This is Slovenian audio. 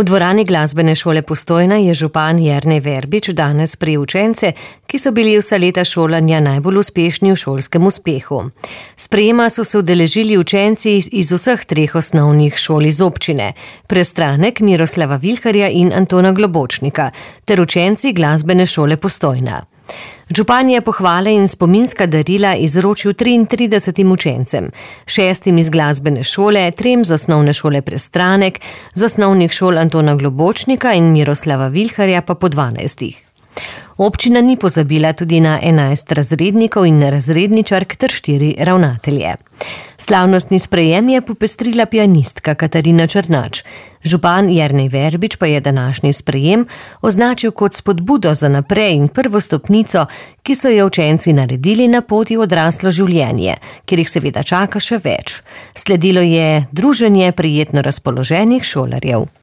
V dvorani glasbene šole Postojna je župan Jernej Verbič danes sprejel učence, ki so bili vsa leta šolanja najbolj uspešni v šolskem uspehu. Sprejema so se udeležili učenci iz vseh 3 osnovnih šol iz občine: Prestranek, Miroslava Vilharja in Antona Globočnika, ter učenci glasbene šole Postojna. Župan je pohvale in spominska darila izročil 33 učencem, 6 iz glasbene šole, 3 z osnovne šole Prestranek, z osnovnih šol Antona Globočnika in Miroslava Vilharja pa po 12. Občina ni pozabila tudi na 11 razrednikov in razredničark ter 4 ravnatelje. Slavnostni sprejem je popestrila pianistka Katarina Črnač. Župan Jernej Verbič pa je današnji sprejem označil kot spodbudo za naprej in prvo stopnico, ki so jo učenci naredili na poti v odraslo življenje, kjer jih seveda čaka še več. Sledilo je druženje prijetno razpoloženih šolarjev.